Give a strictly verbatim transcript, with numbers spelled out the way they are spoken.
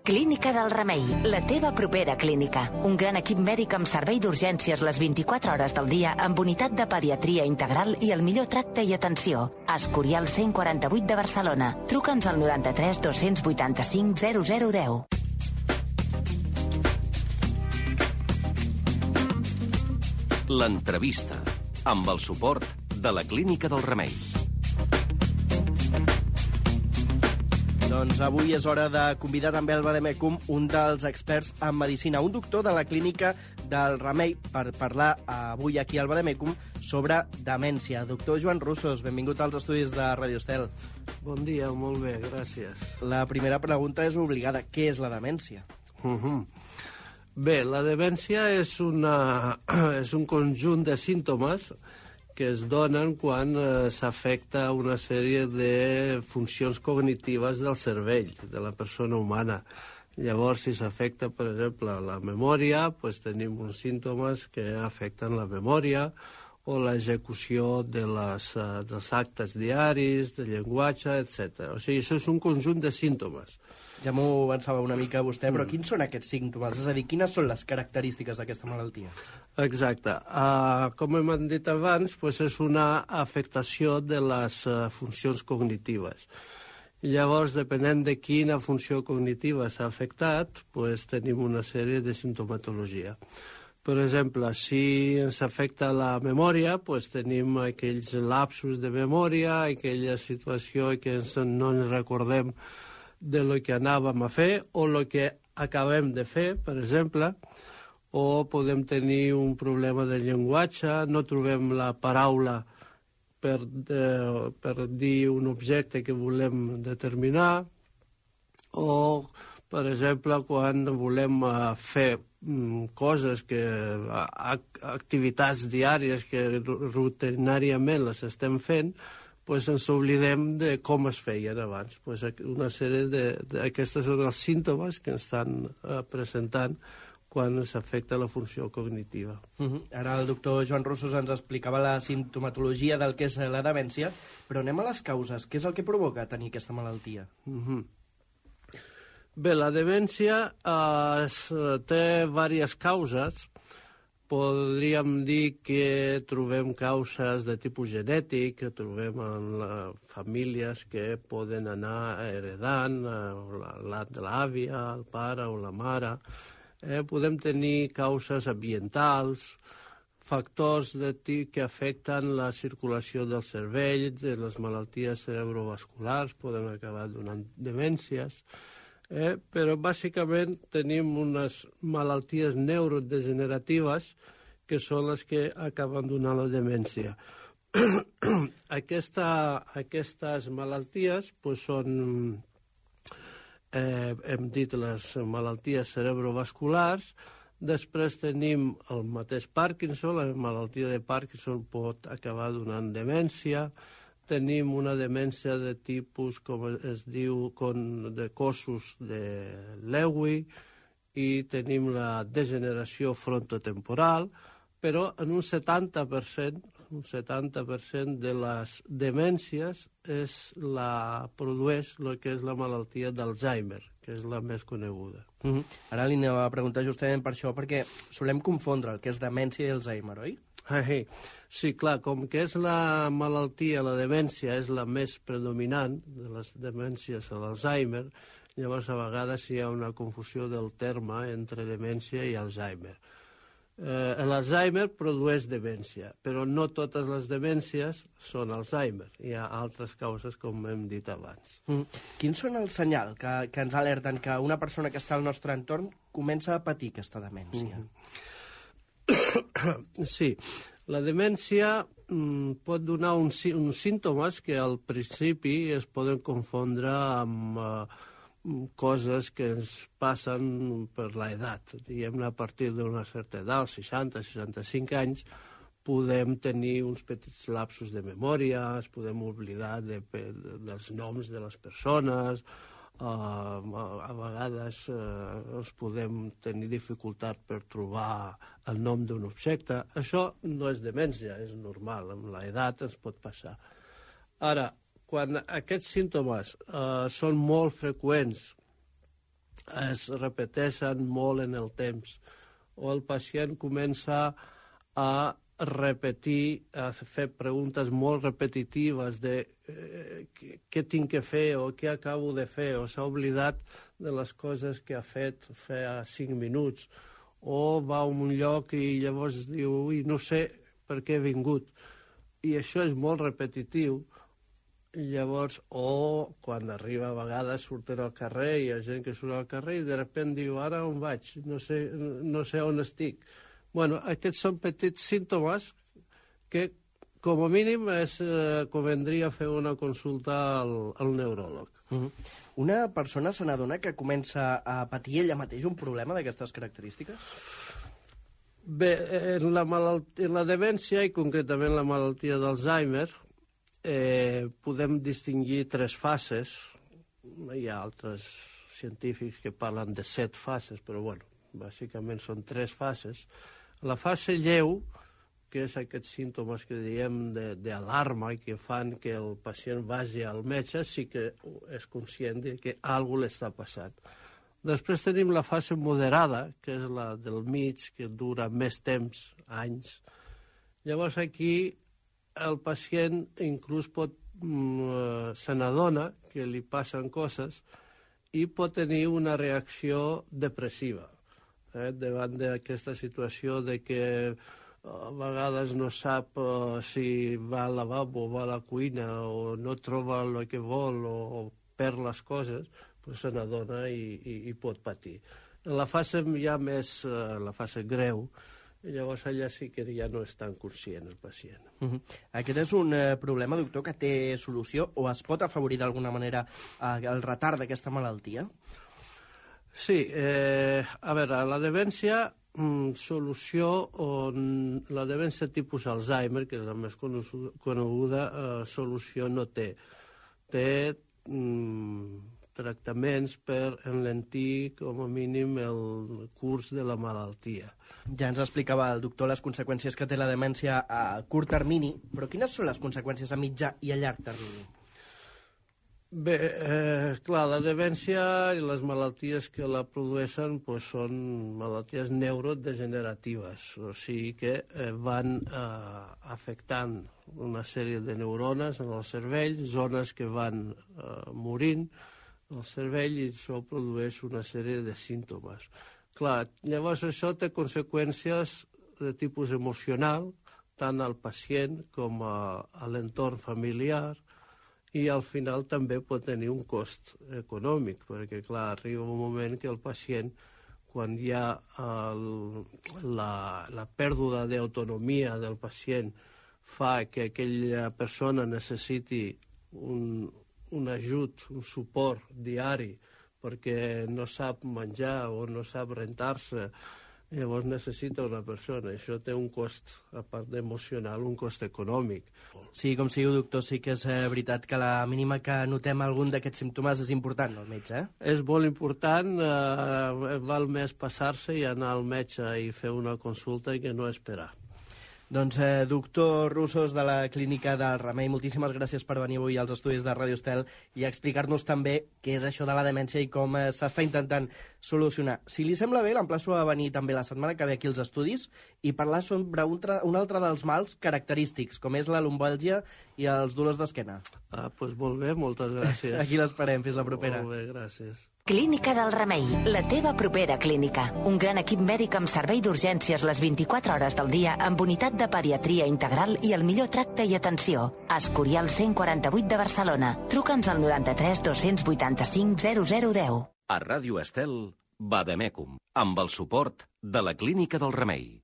Clínica del Remei, la teva propera clínica. Un gran equip mèdic amb servei d'urgències les vint-i-quatre hores del dia amb unitat de pediatria integral i el millor tracte i atenció. Escorial cent quaranta-vuit de Barcelona. Truca'ns al noranta-tres dos-cents vuitanta-cinc zero zero deu. L'entrevista, amb el suport de la Clínica del Remei. Doncs avui és hora de convidar també al Vademecum un dels experts en medicina, un doctor de la Clínica del Remei, per parlar avui aquí al Vademecum sobre demència. Doctor Joan Russos, benvingut als estudis de Radio Estel. Bon dia, molt bé, gràcies. La primera pregunta és obligada. Què és la demència? Uh-huh. Bé, la demència és, una, és un conjunt de símptomes que es donen quan eh, s'afecta una sèrie de funcions cognitives del cervell, de la persona humana. Llavors, si s'afecta, per exemple, la memòria, doncs tenim uns símptomes que afecten la memòria o l'execució de les, uh, dels actes diaris, de llenguatge, etcètera. O sigui, això és un conjunt de símptomes. Ja m'ho avançava una mica vostè, però quins són aquests símptomes? És a dir, quines són les característiques d'aquesta malaltia? Exacte. Uh, com hem dit abans, doncs és una afectació de les uh, funcions cognitives. Llavors, depenent de quina funció cognitiva s'ha afectat, doncs tenim una sèrie de simptomatologia. Per exemple, si ens afecta la memòria, doncs tenim aquells lapsos de memòria, aquella situació que ens, no ens recordem de lo que anàvem a fer o el que acabem de fer, per exemple, o podem tenir un problema de llenguatge, no trobem la paraula per, de, per dir un objecte que volem determinar, o, per exemple, quan volem uh, fer um, coses, que, uh, activitats diàries que rutinàriament les estem fent, pues ens oblidem de com es feien abans. Pues una sèrie d'aquestes són els símptomes que ens estan uh, presentant quan s'afecta la funció cognitiva. Uh-huh. Ara el doctor Joan Russos ens explicava la simptomatologia del que és la demència, però anem a les causes. Què és el que provoca tenir aquesta malaltia? Uh-huh. Bé, la demència uh, es, té diverses causes. Podríem dir que trobem causes de tipus genètic, que trobem en la, famílies que poden anar heredant, la de l'àvia, el pare o la mare. Eh, podem tenir causes ambientals, factors de tipus que afecten la circulació del cervell, de les malalties cerebrovasculars, poden acabar donant demències. Eh, però bàsicament tenim unes malalties neurodegeneratives que són les que acaben donant la demència. Aquesta, aquestes malalties pues, són, eh, hem dit, les malalties cerebrovasculars. Després tenim el mateix Parkinson, la malaltia de Parkinson pot acabar donant demència. Tenim una demència de tipus, com es diu, con, de cossos de Lewy, i tenim la degeneració frontotemporal, però en un setanta per cent, un setanta per cent de les demències és la, produeix el que és la malaltia d'Alzheimer, que és la més coneguda. Uh-huh. Ara li anava a preguntar justament per això, perquè solem confondre el que és demència i Alzheimer, oi? Sí, clar, com que és la malaltia, la demència és la més predominant de les demències a l'Alzheimer, llavors a vegades hi ha una confusió del terme entre demència i Alzheimer. Eh, L'Alzheimer produeix demència, però no totes les demències són Alzheimer. Hi ha altres causes, com hem dit abans. Mm. Quins són els senyals que, que ens alerten que una persona que està al nostre entorn comença a patir aquesta demència? Mm-hmm. Sí, la demència mm, pot donar uns, uns símptomes que al principi es poden confondre amb uh, coses que ens passen per l'edat. Diguem-ne, a partir d'una certa edat, seixanta, seixanta-cinc anys, podem tenir uns petits lapsos de memòria, es podem oblidar de, de, dels noms de les persones, Uh, a, a vegades uh, els podem tenir dificultat per trobar el nom d'un objecte. Això no és demència, és normal, amb l'edat ens pot passar. Ara, quan aquests símptomes uh, són molt freqüents es repeteixen molt en el temps, o el pacient comença a repetir, a fer preguntes molt repetitives de eh, què, què tinc que fer o què acabo de fer, o s'ha oblidat de les coses que ha fet fa cinc minuts, o va a un lloc i llavors diu, ui, no sé per què he vingut. I això és molt repetitiu. I llavors, o quan arriba a vegades surten al carrer, hi ha gent que surt al carrer i de sobte diu, ara on vaig? No sé, no sé on estic. Bueno, aquests són petits símptomes que, com a mínim, es eh, convendria fer una consulta al, al neuròleg. Uh-huh. Una persona se n'adona que comença a patir ella mateix un problema d'aquestes característiques? Bé, en la, malaltia, en la demència, i concretament la malaltia d'Alzheimer, eh, podem distingir tres fases. Hi ha altres científics que parlen de set fases, però, bueno, bàsicament són tres fases. La fase lleu, que és aquests símptomes que diem d'alarma i que fan que el pacient vagi al metge, sí que és conscient de que alguna cosa l'està passant. Després tenim la fase moderada, que és la del mig, que dura més temps, anys. Llavors aquí el pacient inclús pot, mm, se n'adona que li passen coses i pot tenir una reacció depressiva. Eh, davant d'aquesta situació de que a vegades no sap uh, si va al lavabo o va a la cuina o no troba el que vol o, o perd les coses, pues se n'adona i, i, i pot patir. En la fase ja més, uh, la fase greu, llavors allà sí que ja no és tan conscient el pacient. Uh-huh. Aquest és un uh, problema, doctor, que té solució o es pot afavorir d'alguna manera uh, el retard d'aquesta malaltia? Sí, eh, a veure, la demència, mm, solució, on la demència tipus Alzheimer, que és la més coneguda, eh, solució no té. Té mm, tractaments per enlentir, com a mínim, el curs de la malaltia. Ja ens explicava el doctor les conseqüències que té la demència a curt termini, però quines són les conseqüències a mitjà i a llarg termini? Bé, eh, clar, la demència i les malalties que la produeixen pues, són malalties neurodegeneratives, o sigui que eh, van eh, afectant una sèrie de neurones en el cervell, zones que van eh, morint al cervell i això produeix una sèrie de símptomes. Clar, llavors això té conseqüències de tipus emocional, tant al pacient com a, a l'entorn familiar, i al final també pot tenir un cost econòmic, perquè, clar, arriba un moment que el pacient, quan hi ha el, la, la pèrdua d'autonomia del pacient, fa que aquella persona necessiti un, un ajut, un suport diari, perquè no sap menjar o no sap rentar-se, llavors necessita una persona. Això té un cost, a part emocional, un cost econòmic. Sí, com si diu, doctor, sí que és eh, veritat que la mínima que notem algun d'aquests símptomes és important, no, el metge? Eh? És molt important, eh, val més passar-se i anar al metge i fer una consulta i que no esperar. Doncs, eh, doctor Russos, de la Clínica del Remei, moltíssimes gràcies per venir avui als estudis de Ràdio Estel i explicar-nos també què és això de la demència i com eh, s'està intentant solucionar. Si li sembla bé, l'emplaço a venir també la setmana que ve aquí als estudis i parlar sobre un, un altre dels mals característics, com és la lumbàlgia i els dolors d'esquena. Ah, doncs molt bé, moltes gràcies. Aquí l'esperem, fins la propera. Molt bé, gràcies. Clínica del Remei, la teva propera clínica. Un gran equip mèdic amb servei d'urgències les vint-i-quatre hores del dia amb unitat de pediatria integral i el millor tracte i atenció. Escorial cent quaranta-vuit de Barcelona. Truca'ns al noranta-tres dos-cents vuitanta-cinc zero zero deu. A Ràdio Estel, Vademecum, amb el suport de la Clínica del Remei.